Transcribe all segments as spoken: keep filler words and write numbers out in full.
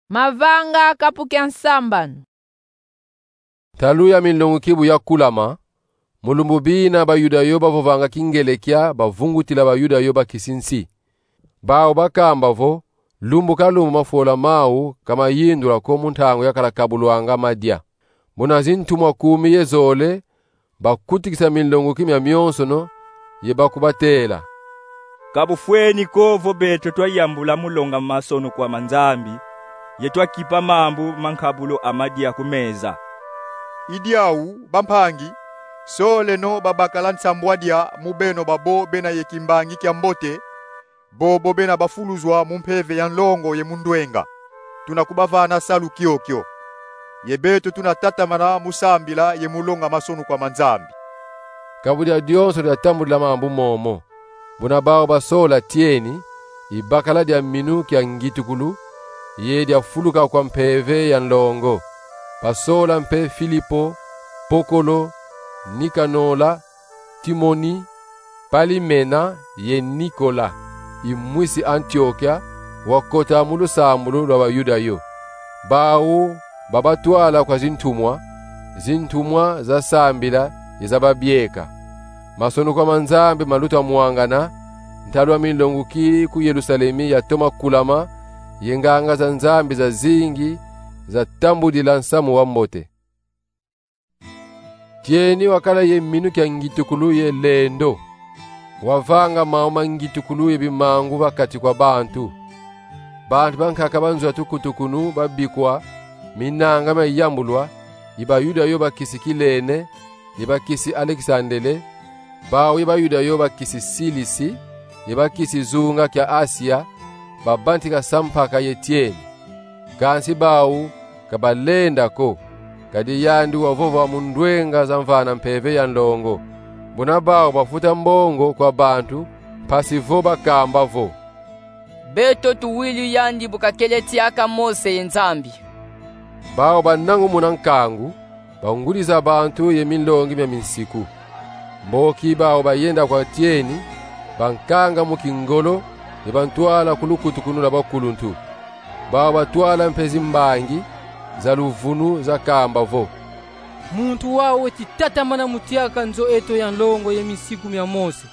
Mavanga kapu kia nsambanu. Ntalu ya minlongo kibu yakulama, mu lumbu bina Bayuda yo bavovanga Kingelekia bavungutila Bayuda yo bakisi nsi. Bau bakamba vo, lumbu ka lumbu mafola mau ka mayindula ko mu ntangu yakala kabulwanga madia. Buna zintumwa kumi ye zole bakutikisa minlongo ki mia mionsono, ye bakubatela: Ka bufweni ko vo beto twayambula mu longa masonukwa ma Nzambi, ye twakipa mambu ma nkabulo a madia ku meza. I diau, bampangi, soleno babakala nsambwadia mu beno babo bena ye kimbangi kia mbote, bobo bena bafuluzwa mu mpeve ya nlongo ye mu ndwenga. Tuna kubavana salu kiokio. Ye beto tuna tatamana mu sambila ye mu longa masonukwa ma Nzambi. Ka bu dia dionso diatambudila mambu momo. Buna bau basola Tieni, i bakala dia minu kia ngitukulu, ye dia fuluka kwa mpeve ya nlongo. Basola mpe Filipo, Pokolo, Nikanola, Timoni, Palimena ye Nikola, i mwisi Antiokia, wakota mu lusambulu lwa Bayuda yo. Bau babatwala kwa zintumwa, zintumwa zasambila ye zababieka. Masonukwa ma Nzambi maluta mwangana, ntalu a minlongo ki ku Yerusalemi yatoma kulama, ye nganga za Nzambi zazingi zatambudila nsamu wa mbote. Tieni wakala ye minu kia ngitukulu ye lendo. Wavanga mau ma ngitukulu ye bimangu va kati kwa bantu. Bantu bankaka ba nzo ya tukutukunu babikwa, minanga miayambulwa, i Bayuda yo bakisi Kilene, ye bakisi Alekisandele, bau ye Bayuda yo bakisi Silisi, ye bakisi zunga kia Asia, babantika sampaka ye Tieni. Kansi bau ka balenda ko, kadi yandi wavova mu ndwenga za mvana mpeve ya nlongo. Buna bau bafuta mbongo kwa bantu, mpasi vo bakamba vo: Beto tuwili yandi bu kakele tiaka Mose ye Nzambi. Bau banangumuna nkangu, bangudi za bantu ye minlongi mia minsiku. Mboki bau bayenda kwa Tieni, bankanga mu kingolo, ye bantwala ku lukutukunu lwa bakuluntu. Bau batwala mpe zimbangi za luvunu zakamba vo: Muntu wau weti tatamana mu tiaka nzo eto ya nlongo ye minsiku mia Mose.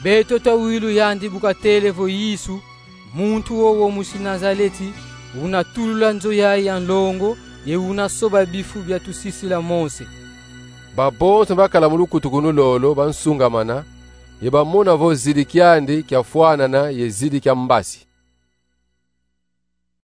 Beto twawila yandi bu katele vo Yesu, muntu wowo musi Nazaleti, una tulula nzo yayi ya nlongo, ye una soba bifu bia tusisila Mose. Babonso bakala mu lukutukunu lolo bansungamana, ye bamona vo zidi kiandi kiafwanana ye zidi kia mbasi.